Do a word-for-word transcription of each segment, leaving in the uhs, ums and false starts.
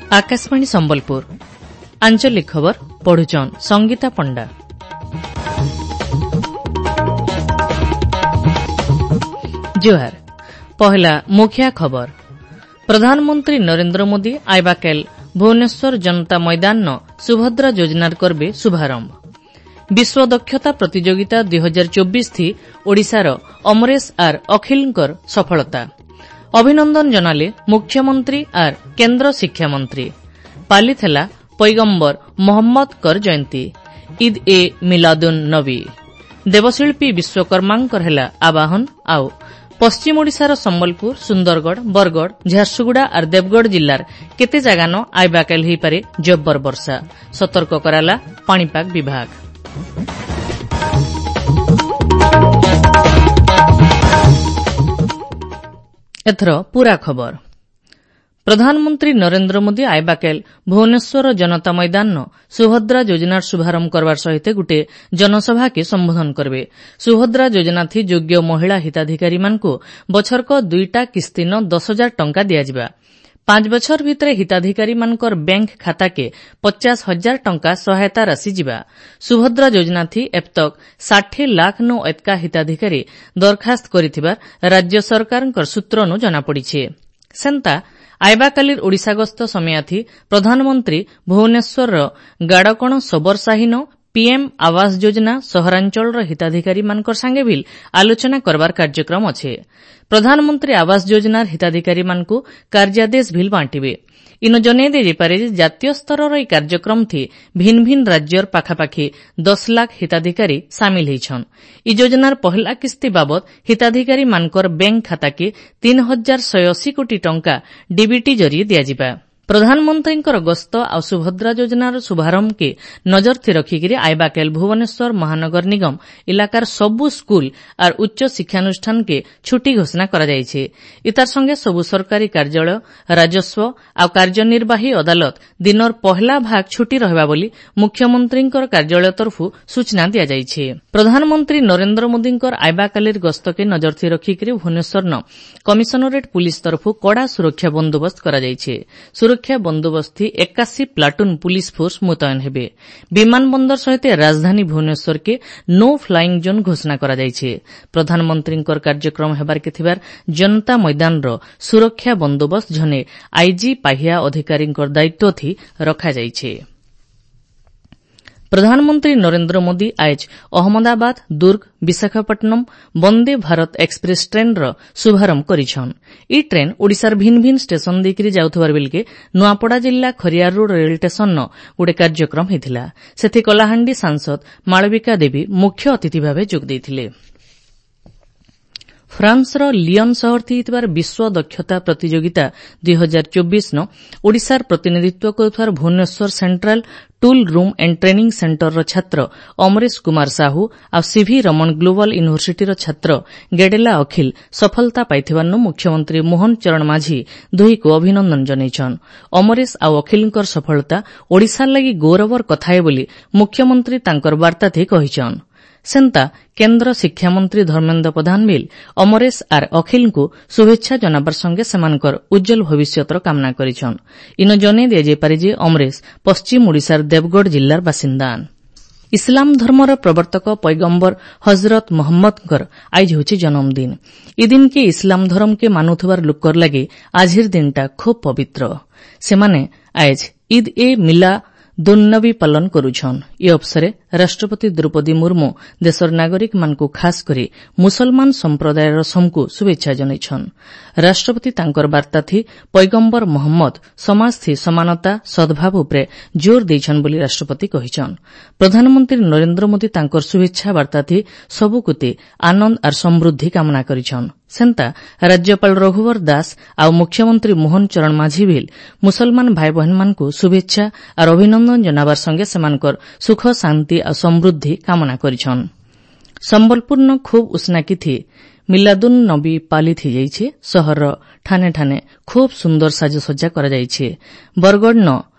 ଆକାଶବାଣୀ ସମ୍ବଲପୁର ଆଞ୍ଚଳିକ ଖବର ପଢୁଛନ୍ ସଙ୍ଗୀତା ପଣ୍ଡା। ଜୁହାର। ପହିଲା ମୁଖିଆ ଖବର। ପ୍ରଧାନମନ୍ତ୍ରୀ ନରେନ୍ଦ୍ର ମୋଦି ଆଇବାକେଲ ଭୁବନେଶ୍ୱର ଜନତା ମଇଦାନ ସୁଭଦ୍ରା ଯୋଜନାର କରବେ ଶୁଭାରମ୍ଭ। ବିଶ୍ୱ ଦକ୍ଷତା ପ୍ରତିଯୋଗିତା ଦୁଇ ହଜାର ଚବିଶ ଥି ଓଡ଼ିଶାର ଅମରେଶ ଆର୍ ଅଖିଲଙ୍କର ସଫଳତା। ଅଭିନନ୍ଦନ ଜଣାଲେ ମୁଖ୍ୟମନ୍ତ୍ରୀ ଆର୍ କେନ୍ଦ୍ର ଶିକ୍ଷାମନ୍ତ୍ରୀ। ପାଲିଥିଲା ପୈଗମ୍ବର ମହମ୍ମଦଙ୍କର ଜୟନ୍ତୀ ଇଦ୍ ଏ ମିଲାଦୁନ୍ ନବୀ। ଦେବଶିଳ୍ପୀ ବିଶ୍ୱକର୍ମାଙ୍କର ହେଲା ଆବାହନ। ଆଉ ପଶ୍ଚିମ ଓଡ଼ିଶାର ସମ୍ବଲପୁର, ସୁନ୍ଦରଗଡ଼, ବରଗଡ଼, ଝାରସୁଗୁଡ଼ା ଆର୍ ଦେବଗଡ଼ ଜିଲ୍ଲାର କେତେ ଜାଗାନ ଆଇବାକାଲ ହୋଇପାରେ ଜବ୍ବର ବର୍ଷା, ସତର୍କ କରାଲା ପାଣିପାଗ ବିଭାଗ। ଏଥର ପୂରା ଖବର। ପ୍ରଧାନମନ୍ତ୍ରୀ ନରେନ୍ଦ୍ର ମୋଦି ଆଇବାକେଲ ଭୁବନେଶ୍ୱର ଜନତା ମଇଦାନ ସୁଭଦ୍ରା ଯୋଜନାର ଶୁଭାରମ୍ଭ କରବାର ସହିତ ଗୁଟେ ଜନସଭାକେ ସମ୍ବୋଧନ କରବେ। ସୁଭଦ୍ରା ଯୋଜନାଥି ଯୋଗ୍ୟ ମହିଳା ହିତାଧିକାରୀମାନଙ୍କୁ ବଛରକ ଦୁଇଟା କିସ୍ତିନ ଦଶ ହଜାର ଟଙ୍କା ଦିଆଯିବା। ପାଞ୍ଚ ବଛର ଭିତରେ ହିତାଧିକାରୀମାନଙ୍କର ବ୍ୟାଙ୍କ ଖାତାକେ ପଚାଶ ହଜାର ଟଙ୍କା ସହାୟତା ରାଶି ଯିବା। ସୁଭଦ୍ରା ଯୋଜନାଥି ଏପ୍ତକ ଷାଠିଏ ଲାଖ ନୁ ଏତ୍କା ହିତାଧିକାରୀ ଦରଖାସ୍ତ କରିଥିବା ରାଜ୍ୟ ସରକାରଙ୍କର ସୂତ୍ରନୁ ଜଣାପଡ଼ିଛି। ସେନ୍ତା ଆଇବାକାଲିର ଓଡ଼ିଶା ଗସ୍ତ ସମୟାଥି ପ୍ରଧାନମନ୍ତ୍ରୀ ଭୁବନେଶ୍ୱରର ଗାଡ଼କଣ ସବରସାହିନ ପିଏମ୍ ଆବାସ ଯୋଜନା ସହରାଞ୍ଚଳର ହିତାଧିକାରୀମାନଙ୍କର ସାଙ୍ଗେ ଭିଲ୍ ଆଲୋଚନା କରବାର କାର୍ଯ୍ୟକ୍ରମ ଅଛେ। ପ୍ରଧାନମନ୍ତ୍ରୀ ଆବାସ ଯୋଜନାର ହିତାଧିକାରୀମାନଙ୍କୁ କାର୍ଯ୍ୟାଦେଶ ଭିଲ୍ ବାଣ୍ଟିବେ। ଇନ ଜଣେଇ ଦିଆଯାଇପାରେ ଯେ ଜାତୀୟ ସ୍ତରର ଏହି କାର୍ଯ୍ୟକ୍ରମଥି ଭିନ୍ ଭିନ୍ ରାଜ୍ୟର ପାଖାପାଖି ଦଶ ଲାଖ ହିତାଧିକାରୀ ସାମିଲ ହେଇଛନ୍। ଇ ଯୋଜନାର ପହଲା କିସ୍ତି ବାବଦ ହିତାଧିକାରୀମାନଙ୍କର ବ୍ୟାଙ୍କ ଖାତାକେ ତିନି ହଜାର ଶହେ ଅଶୀ କୋଟି ଟଙ୍କା ଡିବିଟି ଜରିଏ ଦିଆଯିବା। ପ୍ରଧାନମନ୍ତ୍ରୀଙ୍କର ଗସ୍ତ ଆଉ ସୁଭଦ୍ରା ଯୋଜନାର ଶୁଭାରମ୍ଭକେ ନଜରଥି ରଖିକିରି ଆଇବାକେଲ ଭୁବନେଶ୍ୱର ମହାନଗର ନିଗମ ଇଲାକାର ସବୁ ସ୍କୁଲ ଆର୍ ଉଚ୍ଚ ଶିକ୍ଷାନୁଷ୍ଠାନକେ ଛୁଟି ଘୋଷଣା କରାଯାଇଛି। ଇତାର ସଙ୍ଗେ ସବୁ ସରକାରୀ କାର୍ଯ୍ୟାଳୟ, ରାଜସ୍ୱ ଆଉ କାର୍ଯ୍ୟନିର୍ବାହୀ ଅଦାଲତ ଦିନର ପହଲା ଭାଗ ଛୁଟି ରହିବା ବୋଲି ମୁଖ୍ୟମନ୍ତ୍ରୀଙ୍କର କାର୍ଯ୍ୟାଳୟ ତରଫରୁ ସୂଚନା ଦିଆଯାଇଛି। ପ୍ରଧାନମନ୍ତ୍ରୀ ନରେନ୍ଦ୍ର ମୋଦିଙ୍କର ଆଇବାକାଲିର ଗସ୍ତକେ ନଜରଥି ରଖିକିରି ଭୁବନେଶ୍ୱରନ କମିଶନରେଟ୍ ପୁଲିସ ତରଫରୁ କଡ଼ା ସୁରକ୍ଷା ବନ୍ଦୋବସ୍ତ କରାଯାଇଛି। ସୁରକ୍ଷା ବନ୍ଦୋବସ୍ତ ଏକାଶୀ ପ୍ଲାଟୁନ୍ ପୁଲିସ ଫୋର୍ସ ମୁତୟନ ହେବେ। ବିମାନ ବନ୍ଦର ସହିତ ରାଜଧାନୀ ଭୁବନେଶ୍ୱରକେ ନୋ ଫ୍ଲାଇଂ ଜୋନ୍ ଘୋଷଣା କରାଯାଇଛି। ପ୍ରଧାନମନ୍ତ୍ରୀଙ୍କର କାର୍ଯ୍ୟକ୍ରମ ହେବାରକେ ଥିବାର ଜନତା ମଇଦାନର ସୁରକ୍ଷା ବନ୍ଦୋବସ୍ତ ଝନେ ଆଇଜି ପାହ୍ୟା ଅଧିକାରୀଙ୍କର ଦାୟିତ୍ୱଥି ରଖାଯାଇଛି। ପ୍ରଧାନମନ୍ତ୍ରୀ ନରେନ୍ଦ୍ର ମୋଦି ଆଏଜ୍ ଅହମ୍ମଦାବାଦ ଦୁର୍ଗ ବିଶାଖାପଟ୍ଟନମ୍ ବନ୍ଦେ ଭାରତ ଏକ୍ସପ୍ରେସ୍ ଟ୍ରେନ୍ର ଶୁଭାରମ୍ଭ କରିଛନ୍। ଇ ଟ୍ରେନ୍ ଓଡ଼ିଶାର ଭିନ୍ ଭିନ୍ ଷ୍ଟେସନ ଦେଇକରି ଯାଉଥିବାର ବେଲକେ ନୂଆପଡ଼ା ଜିଲ୍ଲା ଖରିଆର ରୋଡ୍ ରେଳ ଷ୍ଟେସନନ ଗୋଟେ କାର୍ଯ୍ୟକ୍ରମ ହୋଇଥିଲା। ସେଥି କଳାହାଣ୍ଡି ସାଂସଦ ମାଳବିକା ଦେବୀ ମୁଖ୍ୟ ଅତିଥି ଭାବେ ଯୋଗ ଦେଇଥିଲେ। ଫ୍ରାନ୍ସର ଲିଅନ୍ ସହରଥି ହେଇଥିବାର ବିଶ୍ୱ ଦକ୍ଷତା ପ୍ରତିଯୋଗିତା ଦୁଇ ହଜାର ଚବିଶ ନ ଓଡ଼ିଶାର ପ୍ରତିନିଧିତ୍ୱ କରୁଥିବାର Bhubaneswar central tool room and training ସେଣ୍ଟରର ଛାତ୍ର ଅମରେଶ କୁମାର ସାହୁ ଆଉ ସିଭି ରମଣ ଗ୍ଲୋବାଲ ୟୁନିଭର୍ସିଟିର ଛାତ୍ର ଗେଡେଲା ଅଖିଲ ସଫଳତା ପାଇଥିବାରୁ ମୁଖ୍ୟମନ୍ତ୍ରୀ ମୋହନ ଚରଣ ମାଝୀ ଦୁହିଁକୁ ଅଭିନନ୍ଦନ ଜଣାଇଛନ୍। ଅମରେଶ ଆଉ ଅଖିଲଙ୍କର ସଫଳତା ଓଡ଼ିଶାର ଲାଗି ଗୌରବର କଥା ଏ ବୋଲି ମୁଖ୍ୟମନ୍ତ୍ରୀ ତାଙ୍କର ବାର୍ତ୍ତାଥି କହିଛନ୍। ସେନ୍ତା କେନ୍ଦ୍ର ଶିକ୍ଷାମନ୍ତ୍ରୀ ଧର୍ମେନ୍ଦ୍ର ପ୍ରଧାନ ବିଲ୍ ଅମରେଶ ଆର୍ ଅଖିଲଙ୍କୁ ଶୁଭେଚ୍ଛା ଜଣାବାର ସଙ୍ଗେ ସେମାନଙ୍କର ଉଜ୍ଜ୍ୱଳ ଭବିଷ୍ୟତର କାମନା କରିଛନ୍। ଇନ ଜଣେଇ ଦିଆଯାଇପାରେ ଯେ ଅମରେଶ ପଶ୍ଚିମ ଓଡ଼ିଶାର ଦେବଗଡ଼ ଜିଲ୍ଲାର ବାସିନ୍ଦା। ଇସଲାମ ଧର୍ମର ପ୍ରବର୍ତ୍ତକ ପୈଗମ୍ବର ହଜରତ ମହମ୍ମଦଙ୍କର ଆଇଜ ହେଉଛି ଜନ୍ମଦିନ। ଇ ଦିନକେ ଇସଲାମ ଧର୍ମକେ ମାନୁଥିବାର ଲୋକର ଲାଗି ଆଜିର ଦିନଟା ଖୁବ୍ ପବିତ୍ର। ସେମାନେ ଆଏଜ ଇଦ୍ ଏ ମିଲା ଦୁନ୍ନବୀ ପାଳନ କରୁଛନ୍। ଏ ଅବସରେ ରାଷ୍ଟ୍ରପତି ଦ୍ରୌପଦୀ ମୁର୍ମୁ ଦେଶର ନାଗରିକମାନଙ୍କୁ ଖାସ୍ କରି ମୁସଲମାନ ସମ୍ପ୍ରଦାୟର ସମକୁ ଶୁଭେଚ୍ଛା ଜଣାଇଛନ୍। ରାଷ୍ଟ୍ରପତି ତାଙ୍କର ବାର୍ତ୍ତାଥି ପୈଗମ୍ବର ମହମ୍ମଦ ସମାଜଥି ସମାନତା, ସଦ୍ଭାବ ଉପରେ ଜୋର ଦେଇଛନ୍ ବୋଲି ରାଷ୍ଟ୍ରପତି କହିଛନ୍। ପ୍ରଧାନମନ୍ତ୍ରୀ ନରେନ୍ଦ୍ର ମୋଦି ତାଙ୍କର ଶୁଭେଚ୍ଛା ବାର୍ତ୍ତାଥି ସବୁକୁତି ଆନନ୍ଦ ଆର୍ ସମୃଦ୍ଧି କାମନା କରିଛନ୍। ସେନ୍ତା ରାଜ୍ୟପାଳ ରଘୁବର ଦାସ ଆଉ ମୁଖ୍ୟମନ୍ତ୍ରୀ ମୋହନ ଚରଣ ମାଝୀ ଭିଲ୍ ମୁସଲମାନ ଭାଇବହେନମାନଙ୍କୁ ଶୁଭେଚ୍ଛା ଆର୍ ଅଭିନନ୍ଦନ ଜଣାବାର ସଙ୍ଗେ ସେମାନଙ୍କର ସୁଖ, ଶାନ୍ତି ଆଉ ସମୃଦ୍ଧି କାମନା କରିଛନ୍। ସମ୍ବଲପୁରନ ଖୁବ୍ ଉଷ୍ଣାକିଥି ମିଲାଦୁନ୍ ନବୀ ପାଲିତ ହେଇଯାଇଛି। ସହରର ଠାନେ ଠାନେ ଖୁବ୍ ସୁନ୍ଦର ସାଜସଜ୍ଜା କରାଯାଇଛି। ବରଗଡ଼ନ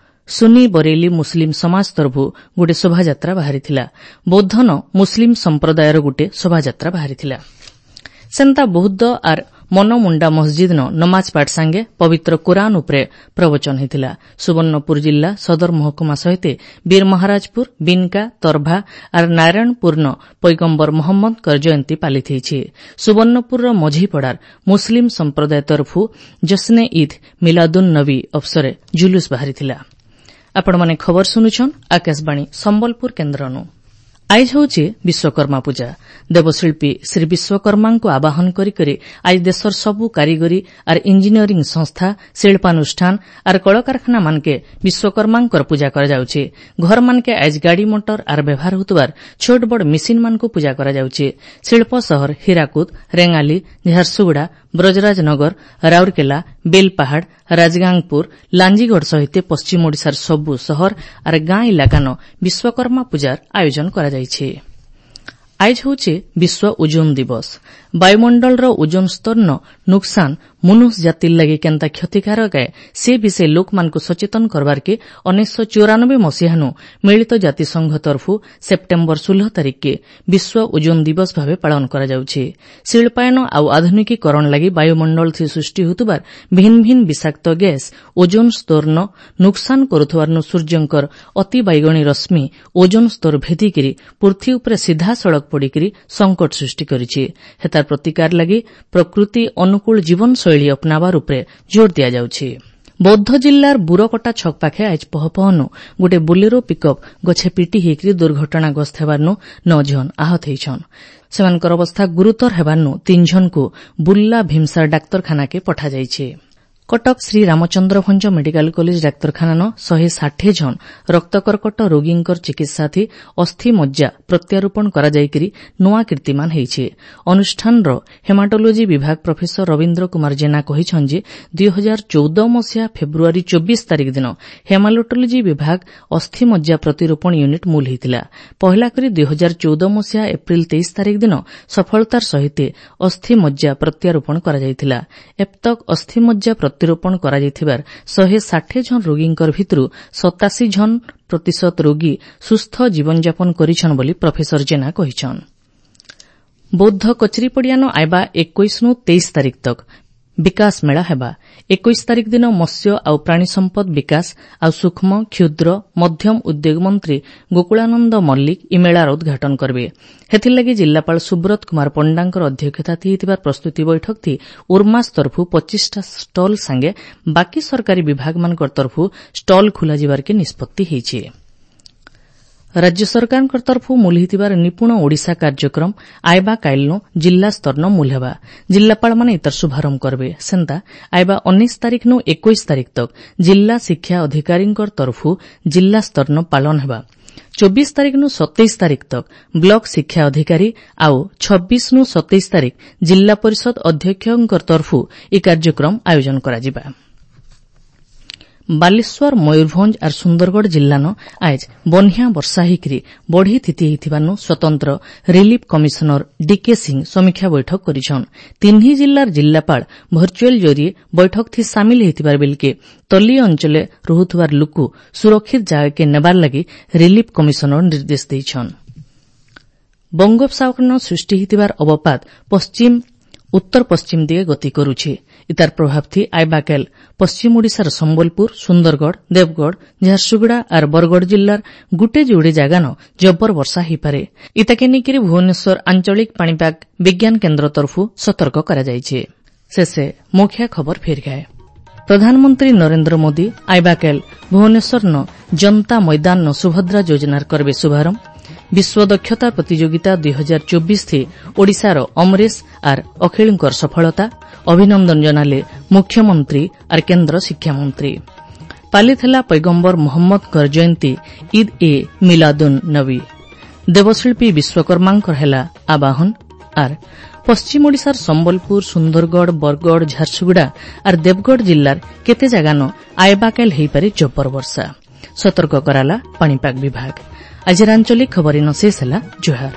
ସୁନି ବରେଲି ମୁସଲିମ ସମାଜ ତରଫରୁ ଗୋଟେ ଶୋଭାଯାତ୍ରା ବାହାରିଥିଲା। ବୌଦ୍ଧନ ମୁସଲିମ ସମ୍ପ୍ରଦାୟର ଗୋଟେ ଶୋଭାଯାତ୍ରା ବାହାରିଥିଲା। ସେନ୍ତା ବୌଦ୍ଧ ଆର୍ ମନମୁଣ୍ଡା ମସଜିଦନ ନମାଜ ପାଠ ସାଙ୍ଗେ ପବିତ୍ର କୁରାନ ଉପରେ ପ୍ରବଚନ ହୋଇଥିଲା। ସୁବର୍ଣ୍ଣପୁର ଜିଲ୍ଲା ସଦର ମହକୁମା ସହିତ ବୀରମହାରାଜପୁର, ବିନକା, ତରଭା ଆର୍ ନାରାୟଣପୁରନ ପୈଗମ୍ବର ମହମ୍ମଦଙ୍କର ଜୟନ୍ତୀ ପାଳିତ ହୋଇଛି। ସୁବର୍ଣ୍ଣପୁରର ମଝିପଡ଼ାର ମୁସଲିମ ସମ୍ପ୍ରଦାୟ ତରଫୁ ଜଶ୍ନେ ଇଦ୍ ମିଲାଦୁନ୍ ନବୀ ଅବସରେ ଜୁଲୁସ୍ ବାହାରିଥିଲା। ଆପଣମାନେ ଖବର ଶୁଣୁଛନ୍ ଆକାଶବାଣୀ ସମ୍ବଲପୁର କେନ୍ଦ୍ରନୁ। ଆଇଜ ହେଉଛି ବିଶ୍ୱକର୍ମା ପୂଜା। ଦେବଶିଳ୍ପୀ ଶ୍ରୀ ବିଶ୍ୱକର୍ମାଙ୍କୁ ଆବାହନ କରିକରି ଆଜି ଦେଶର ସବୁ କାରିଗରୀ ଆର୍ ଇଞ୍ଜିନିୟରିଂ ସଂସ୍ଥା, ଶିଳ୍ପାନୁଷ୍ଠାନ ଆର୍ କଳକାରଖାନାମାନକେ ବିଶ୍ୱକର୍ମାଙ୍କର ପୂଜା କରାଯାଉଛି। ଘରମାନକେ ଆଜି ଗାଡ଼ି ମଟର ଆର୍ ବ୍ୟବହାର ହେଉଥିବାର ଛୋଟ ବଡ଼ ମେସିନ୍ମାନଙ୍କୁ ପୂଜା କରାଯାଉଛି। ଶିଳ୍ପ ସହର ହୀରାକୁଦ, ରେଙ୍ଗାଲି, ଝାରସୁଗୁଡ଼ା, ବ୍ରଜରାଜନଗର, ରାଉରକେଲା, ବେଲପାହାଡ଼, ରାଜଗାଙ୍ଗପୁର, ଲାଞ୍ଜିଗଡ଼ ସହିତ ପଶ୍ଚିମ ଓଡ଼ିଶାର ସବୁ ସହର ଆର୍ ଗାଁ ଇଲାକାନ ବିଶ୍ୱକର୍ମା ପୂଜାର ଆୟୋଜନ କରାଯାଇଛି। ଆଇଜ ହେଉଛି ବିଶ୍ୱ ଓଜୋନ ଦିବସ। ବାୟୁମଣ୍ଡଳର ଓଜୋନ ସ୍ତରର ନୁକସାନ ମନୁଷ ଜାତିର ଲାଗି କେନ୍ତା କ୍ଷତିକାରକ ଏ ସେ ବିଷୟ ଲୋକମାନଙ୍କୁ ସଚେତନ କରବାରକେ ଉଣେଇଶ ଚଉରାନବେ ମସିହାନୁ ମିଳିତ ଜାତିସଂଘ ତରଫୁ ସେପ୍ଟେମ୍ବର ଷୋହଳ ତାରିଖକେ ବିଶ୍ୱ ଓଜୋନ ଦିବସ ଭାବେ ପାଳନ କରାଯାଉଛି। ଶିଳ୍ପାୟନ ଆଉ ଆଧୁନିକୀକରଣ ଲାଗି ବାୟୁମଣ୍ଡଳ ଥି ସୃଷ୍ଟି ହେଉଥିବାର ଭିନ୍ନ ଭିନ୍ନ ବିଷାକ୍ତ ଗ୍ୟାସ୍ ଓଜୋନ ସ୍ତରର ନୁକସାନ କରୁଥିବାରୁ ସୂର୍ଯ୍ୟଙ୍କର ଅତି ବାଇଗଣୀ ରଶ୍ମି ଓଜୋନ ସ୍ତର ଭେଦିକିରି ପୃଥିବୀ ଉପରେ ସିଧାସଳଖ ପଡ଼ିକରି ସଂକଟ ସୃଷ୍ଟି କରିଛି। ହେତାର ପ୍ରତିକାର ଲାଗି ପ୍ରକୃତି ଅନୁକୂଳ ଜୀବନଶୈଳୀ ଅପନାବାର ଉପରେ ଜୋର ଦିଆଯାଉଛି। ବୌଦ୍ଧ ଜିଲ୍ଲାର ବୁରକଟା ଛକ ପାଖେ ଆଜ ପହପହନୁ ଗୋଟେ ବୋଲେରୋ ପିକଅପ୍ ଗଛେ ପିଟି ହେଇକରି ଦୁର୍ଘଟଣାଗ୍ରସ୍ତ ହେବାରନୁ ନଅ ଜଣ ଆହତ ହେଇଛନ୍। ସେମାନଙ୍କର ଅବସ୍ଥା ଗୁରୁତର ହେବାରନୁ ତିନି ଜଣଙ୍କୁ ବୁର୍ଲା ଭୀମସାର ଡାକ୍ତରଖାନାକେ ପଠାଯାଇଛି। କଟକ ଶ୍ରୀ ରାମଚନ୍ଦ୍ର ଭଞ୍ଜ ମେଡିକାଲ କଲେଜ ଡାକ୍ତରଖାନାନ ଶହେ ଷାଠିଏ ଜଣ ରକ୍ତକର୍କଟ ରୋଗୀଙ୍କର ଚିକିତ୍ସାଥି ଅସ୍ଥି ମଜ୍ଜା ପ୍ରତ୍ୟାରୋପଣ କରାଯାଇକରି ନୂଆ କୀର୍ତ୍ତିମାନ ହୋଇଛି। ଅନୁଷ୍ଠାନର ହେମାଟୋଲୋଜି ବିଭାଗ ପ୍ରଫେସର ରବୀନ୍ଦ୍ର କୁମାର ଜେନା କହିଛନ୍ତି ଯେ ଦୁଇ ହଜାର ଚଉଦ ମସିହା ଫେବୃଆରୀ ଚବିଶ ତାରିଖ ଦିନ ହେମାଟୋଲୋଜି ବିଭାଗ ଅସ୍ଥି ମଜ୍ଜା ପ୍ରତିରୋପଣ ୟୁନିଟ୍ ମୂଲ ହୋଇଥିଲା। ପହିଲା କରି ଦୁଇ ହଜାର ଚଉଦ ମସିହା ଏପ୍ରିଲ ତେଇଶ ତାରିଖ ଦିନ ସଫଳତାର ସହିତ ଅସ୍ଥି ମଜ୍ଜା ପ୍ରତ୍ୟାରୋପଣ କରାଯାଇଥିଲା। ଏପ୍ତକ ଅସ୍ଥି ମଜ୍ଜା ପ୍ରତିରୋପଣ କରାଯାଇଥିବାର ଶହେ ଷାଠିଏ ଜଣ ରୋଗୀଙ୍କର ଭିତରୁ ସତାଅଶୀ ଜଣ ପ୍ରତିଶତ ରୋଗୀ ସୁସ୍ଥ ଜୀବନଯାପନ କରିଛନ୍ ବୋଲି ପ୍ରଫେସର ଜେନା କହିଛନ୍। ବୌଦ୍ଧ କଚେରୀପଡ଼ିଆନ ଆଇବା ଏକୋଇଶରୁ ତେଇଶ ତାରିଖ ତକ୍ ବିକାଶ ମେଳା ହେବା। ଏକୋଇଶ ତାରିଖ ଦିନ ମତ୍ସ୍ୟ ଆଉ ପ୍ରାଣୀ ସମ୍ପଦ ବିକାଶ ଆଉ ସୂକ୍ଷ୍ମ, କ୍ଷୁଦ୍ର, ମଧ୍ୟମ ଉଦ୍ୟୋଗ ମନ୍ତ୍ରୀ ଗୋକୁଳାନନ୍ଦ ମଲ୍ଲିକ ଇ ମେଳାର ଉଦ୍ଘାଟନ କରିବେ। ହେଥିର୍ଲାଗି ଜିଲ୍ଲାପାଳ ସୁବ୍ରତ କୁମାର ପଣ୍ଡାଙ୍କର ଅଧ୍ୟକ୍ଷତା ହେଇଥିବା ପ୍ରସ୍ତୁତି ବୈଠକ ଥି ଉର୍ମାସ ତରଫୁ ପଚିଶଟା ଷ୍ଟଲ୍ ସାଙ୍ଗେ ବାକି ସରକାରୀ ବିଭାଗମାନଙ୍କର ତରଫୁ ଷ୍ଟଲ୍ ଖୋଲାଯିବାରକେ ନିଷ୍ପତ୍ତି ହୋଇଛି। ରାଜ୍ୟ ସରକାରଙ୍କ ତରଫୁ ମୂଲ ହେଇଥିବାର ନିପୁଣ ଓଡ଼ିଶା କାର୍ଯ୍ୟକ୍ରମ ଆଇବା କାଇଲନୁ ଜିଲ୍ଲା ସ୍ତରନ ମୂଲ ହେବା। ଜିଲ୍ଲାପାଳମାନେ ଇତାର ଶୁଭାରମ୍ଭ କରିବେ। ସେନ୍ତା ଆଇବା ଉଣେଇଶ ତାରିଖନୁ ଏକୋଇଶ ତାରିଖ ତକ୍ ଜିଲ୍ଲା ଶିକ୍ଷା ଅଧିକାରୀଙ୍କର ତରଫୁ ଜିଲ୍ଲା ସ୍ତରନ ପାଳନ ହେବା। ଚବିଶ ତାରିଖନୁ ସତେଇଶ ତାରିଖ ତକ୍ ବ୍ଲକ ଶିକ୍ଷା ଅଧିକାରୀ ଆଉ ଛବିଶନୁ ସତେଇଶ ତାରିଖ ଜିଲ୍ଲା ପରିଷଦ ଅଧ୍ୟକ୍ଷଙ୍କର ତରଫୁ ଇ କାର୍ଯ୍ୟକ୍ରମ ଆୟୋଜନ କରାଯିବା। ବାଲେଶ୍ୱର, ମୟୂରଭଞ୍ଜ ଆର୍ ସୁନ୍ଦରଗଡ଼ ଜିଲ୍ଲାନ ଆଏଜ୍ ବନ୍ୟା ବର୍ଷା ହେଇକରି ବଢ଼ି ଥିତି ହେଇଥିବାନୁ ସ୍ୱତନ୍ତ୍ର ରିଲିଫ୍ କମିଶନର ଡିକେ ସିଂ ସମୀକ୍ଷା ବୈଠକ କରିଛନ୍। ତିନ୍ହି ଜିଲ୍ଲାର ଜିଲ୍ଲାପାଳ ଭର୍ଚୁଆଲ ଜରିଏ ବୈଠକ ଥି ସାମିଲ ହେଇଥିବାର ବେଲକେ ତଲି ଅଞ୍ଚଲେ ରହୁଥିବାର ଲୁକୁ ସୁରକ୍ଷିତ ଜାଗାକେ ନେବାର ଲାଗି ରିଲିଫ୍ କମିଶନର ନିର୍ଦ୍ଦେଶ ଦେଇଛନ୍। ବଙ୍ଗୋପସାଗରନ ସୃଷ୍ଟି ହେଇଥିବାର ଅବପାତ ପଶ୍ଚିମ ଉତ୍ତର ପଶ୍ଚିମ ଦିଗେ ଗତି କରୁଛି। ଇତାର ପ୍ରଭାବ ଥି ଆଇବାକେଲ ପଶ୍ଚିମ ଓଡ଼ିଶାର ସମ୍ବଲପୁର, ସୁନ୍ଦରଗଡ଼, ଦେବଗଡ଼, ଝାରସୁଗୁଡ଼ା ଆର୍ ବରଗଡ଼ ଜିଲ୍ଲାର ଗୁଟେ ଯୋଡ଼େ ଜାଗାନ ଜବର ବର୍ଷା ହୋଇପାରେ। ଇତାକେ ନେଇକରି ଭୁବନେଶ୍ୱର ଆଞ୍ଚଳିକ ପାଣିପାଗ ବିଜ୍ଞାନ କେନ୍ଦ୍ର ତରଫୁ ସତର୍କ କରାଯାଇଛି। ଶେଷେ ମୁଖ୍ୟ ଖବର ଫେର ଗାଏ। ପ୍ରଧାନମନ୍ତ୍ରୀ ନରେନ୍ଦ୍ର ମୋଦି ଆଇବାକେଲ ଭୁବନେଶ୍ୱରନ ଜନତା ମଇଦାନନ ସୁଭଦ୍ରା ଯୋଜନାର କରବେ ଶୁଭାରମ୍ଭ। ବିଶ୍ୱ ଦକ୍ଷତା ପ୍ରତିଯୋଗିତା ଦୁଇ ହଜାର ଚବିଶ ଥି ଓଡ଼ିଶାର ଅମରେଶ ଆର୍ ଅଖିଳଙ୍କର ସଫଳତା, ଅଭିନନ୍ଦନ ଜଣାଲେ ମୁଖ୍ୟମନ୍ତ୍ରୀ ଆର୍ କେନ୍ଦ୍ର ଶିକ୍ଷାମନ୍ତ୍ରୀ। ପାଲିତ ହେଲା ପୈଗମ୍ବର ମହମ୍ମଦଙ୍କର ଜୟନ୍ତୀ ଇଦ୍ ଏ ମିଲାଦୁନ୍ ନବୀ। ଦେବଶିଳ୍ପୀ ବିଶ୍ୱକର୍ମାଙ୍କର ହେଲା ଆବାହନ। ଆର୍ ପଶ୍ଚିମ ଓଡ଼ିଶାର ସମ୍ବଲପୁର, ସୁନ୍ଦରଗଡ଼, ବରଗଡ଼, ଝାରସୁଗୁଡ଼ା ଆର୍ ଦେବଗଡ଼ ଜିଲ୍ଲାର କେତେ ଜାଗାନ ଆଏବାକେଲ ହେଇପାରେ ଜବର ବର୍ଷା, ସତର୍କ କରାଲା ପାଣିପାଗ ବିଭାଗ। ଆଜିର ଆଞ୍ଚଳିକ ଖବର ଇନ ଶେଷ ହେଲା। ଜୁହାର।